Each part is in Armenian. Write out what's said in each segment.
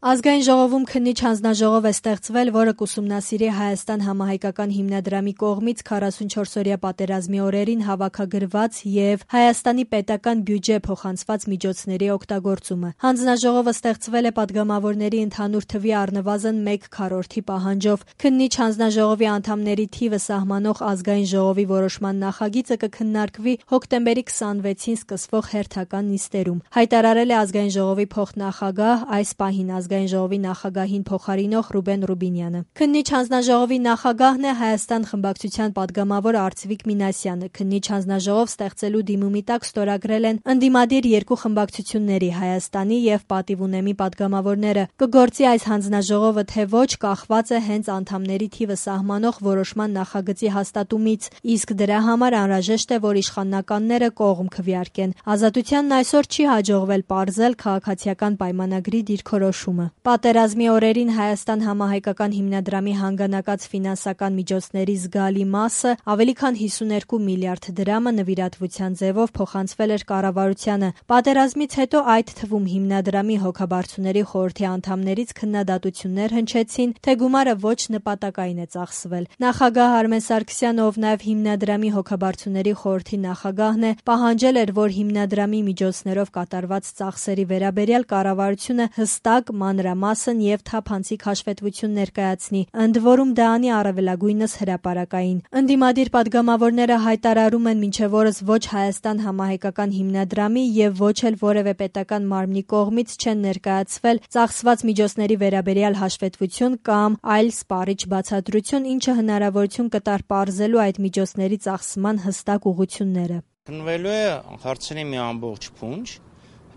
Ազգային ժողովում քննիչ հանձնաժողով է ստեղծվել, որը կուսումնասիրի Հայաստան համահայկական հիմնադրամի կողմից 44-օրյա պատերազմի օրերին հավաքագրված եւ Հայաստանի պետական բյուջե փոխանցված միջոցների օգտագործումը։ Հանձնաժողովը ստեղծվել է падգամավորների ընդհանուր թվի առնվազն 1/4 պահանջով։ Քննիչ հանձնաժողովի անդամների թիվը սահմանող Ազգային ժողովի որոշման նախագիծը կքննարկվի հոկտեմբերի 26-ին սկսվող հերթական նիստերում, հայտարարել է Ազգային ժողովի փոխնախագահ, այս պահին Ազգային ժողովի նախագահին փոխարինող Ռուբեն Ռուբինյանը։ Քննիչ հանձնաժողովի նախագահն է Հայաստան խմբակցության падգամավոր Արծվիկ Մինասյանը։ Քննիչ հանձնաժողով ստեղծելու դիմումի տակ ստորագրել են ընդդիմադիր երկու խմբակցությունների՝ Հայաստանի եւ Պատիվունեմի падգամավորները։ Կգործի այս հանձնաժողովը թե ոչ, կախված է հենց անդամների թիվը սահմանող որոշման նախագծի հաստատումից, իսկ դրա համար անհրաժեշտ է, որ իշխանականները կողմ քվեարկեն։ Ազատությանն այսօր չի հաջողվել պարզել քաղաքացիական պայմանագրի դիրքորոշումը։ Պատերազմի օրերին Հայաստան համահայկական հիմնադրամի հանգանակած ֆինանսական միջոցների զգալի մասը, ավելի քան 52 միլիարդ դրամը նվիրատվության ձևով փոխանցվել էր կառավարությանը։ Պատերազմից հետո այդ թվում հիմնադրամի հոգաբարձուների խորհրդի անդամներից քննադատություններ հնչեցին, թե գումարը ոչ նպատակային է ծախսվել։ Նախագահ Արմեն Սարգսյանը, ով նաև հիմնադրամի հոգաբարձուների խորհրդի նախագահն է, պահանջել էր, որ հիմնադրամի միջոցներով կատարված ծախսերի վերաբերյալ կառավարությունը հստակ, մանրամասն եւ թափանցիկ հաշվետվություն ներկայացնի, ընդ որում դա անի առավելագույնս հրապարակային։ Ընդդիմադիր падգամավորները հայտարարում են մինչև օրս ոչ Հայաստան համահայկական հիմնադրամի եւ ոչ էլ որևէ պետական մարմնի կողմից չեն ներկայացվել ծախսված միջոցների վերաբերյալ հաշվետվություն կամ այլ սպառիչ բացատրություն, ինչը հնարավորություն կտար պարզելու այդ միջոցների ծախսման հստակ ուղղությունները։ Քննվելու է հարցերի մի ամբողջ փունջ,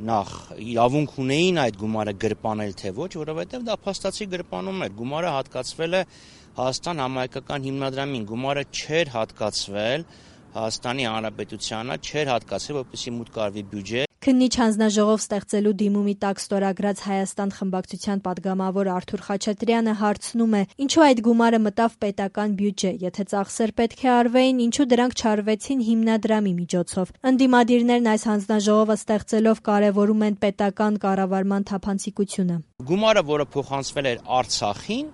նախ իրավունք ունեին այդ գումարը գրպանել թե ոչ, որովհետև դա փաստացի գրպանում էր։ Գումարը հատկացվել է Հայաստան համահայկական հիմնադրամին, գումարը չէր հատկացվել Հայաստանի Հանրապետությանը, չէր հատկացվել, որպեսզի մուտք արվի բյուջե։ Քննիչ հանձնաժողով ստեղծելու դիմումի տակ ստորագրած Հայաստան խմբակցության падգամավոր Արթուր Խաչատրյանը հարցնում է. ինչու այդ գումարը մտավ պետական բյուջե, եթե ծախսեր պետք է արվեին, ինչու դրանք չարվեցին հիմնադրամի միջոցով։ Ընդդիմադիրներն այս հանձնաժողովը ստեղծելով կարևորում են պետական կառավարման թափանցիկությունը։ Գումարը, որը փոխանցվել էր Արցախին,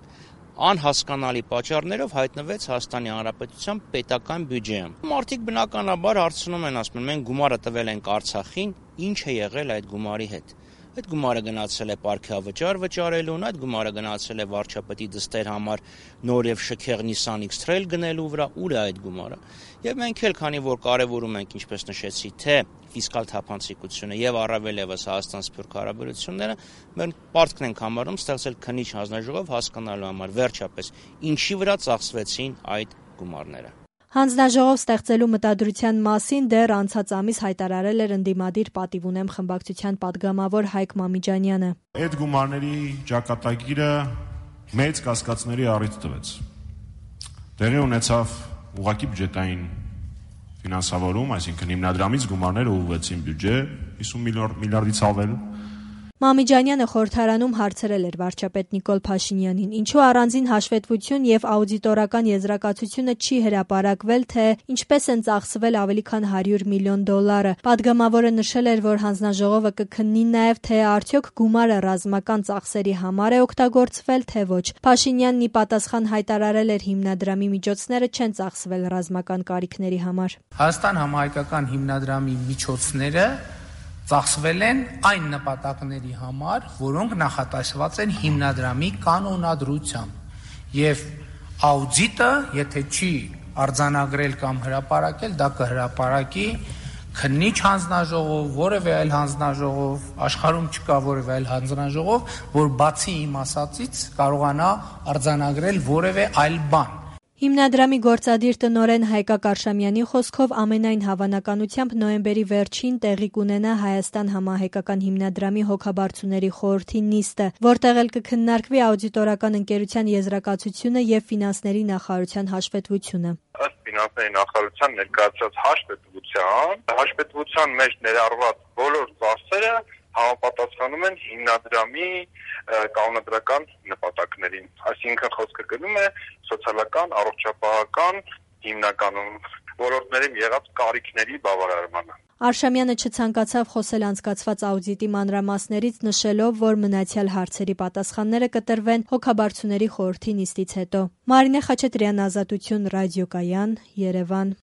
անհասկանալի պատճառներով հայտնվեց Հայաստանի Հանրապետության պետական բյուջեում։ Մարդիկ բնականաբար հարցնում են, ասում են, մենք գումարը տվել ենք Արցախին, ինչ է եղել այդ գումարի հետ։ Այդ գումարը գնացել է պարքեավճար վճարելուն, այդ գումարը գնացել է վարչապետի դստեր համար նոր եւ շքեղ Nissan X-Trail գնելու վրա, ուր է այդ գումարը։ Եվ մենք էլ, քանի որ կարևորում ենք, ինչպես նշեցի, թե ֆիսկալ թափանցիկությունը եւ առավել եւս Հայաստան-Սփյուռք հարաբերությունները, մենք պարտքն ենք համարում ստեղծել քննիչ հանձնաժողով հասկանալու համար վերջապես ինչի վրա ծախսվեցին այդ գումարները։ Հանձնաժողով ստեղծելու մտադրության մասին դեռ անցած ամիս հայտարարել էր ընդդիմադիր Պատիվունեմ խմբակցության падգամավոր Հայկ Մամիջանյանը։ Այդ գումարների ճակատագիրը մեծ կասկածների առիթ տվեց։ Տեղի ունեցավ ուղղակի բյուջետային ֆինանսավորում, այսինքն հիմնադրամից գումարները ուղղվեցին բյուջե 50 միլիարդից ավել։ Մամիջանյանը խորհրդարանում հարցրել էր վարչապետ Նիկոլ Փաշինյանին, ինչու առանձին հաշվետվություն եւ աուդիտորական եզրակացությունը չի հրապարակվել, թե ինչպես են ծախսվել ավելի քան $100 միլիոն։ Падգամավորը նշել էր, որ հանձնաժողովը կքննի նաեւ, թե արդյոք գումարը ռազմական ծախսերի համար է օգտագործվել, թե ոչ։ Փաշինյանն ի պատասխան հայտարարել էր, հիմնադրամի միջոցները չեն ծախսվել ռազմական կարիքների համար։ Հայաստան համահայկական հիմնադրամի միջոցները ծախսվել են այն նպատակների համար, որոնք նախատեսված են հիմնադրամի կանոնադրությամբ։ Եվ աուդիտը, եթե չի արձանագրել կամ հրապարակել, դա կհրապարակի քննիչ հանձնաժողով, որևէ այլ հանձնաժողով, աշխարհում չկա որևէ այլ հանձնաժողով, որ բացի իմ ասածից կարողանա արձանագրել որևէ այլ բան։ Հիմնադրամի գործադիր տնօրեն Հայկակ Արշամյանի խոսքով ամենայն հավանականությամբ նոյեմբերի վերջին տեղի կունենա Հայաստան համահայկական հիմնադրամի հոգաբարձուների խորհրդի նիստը, որտեղ էլ կքննարկվի աուդիտորական ընկերության եզրակացությունը եւ ֆինանսների նախարարության հաշվետվությունը։ Ըստ ֆինանսների նախարարության ներկայացած հաշվետվության մեջ ներառված բոլոր ծախսերը համապատասխանում են հիմնադրամի կանոնադրական նպատակներին, այսինքն խոսքը գնում է սոցիալական, առողջապահական հիմնականում ոլորտներում եղած կարիքների բավարարմանը։ Արշամյանը չցանկացավ խոսել անցկացված աուդիտի մանրամասներից, նշելով, որ մնացյալ հարցերի պատասխանները կտրվեն հոգաբարձուների խորհրդի նիստից հետո։ Մարինե Խաչատրյան, Ազատություն, Ռադիոկայան, Երևան։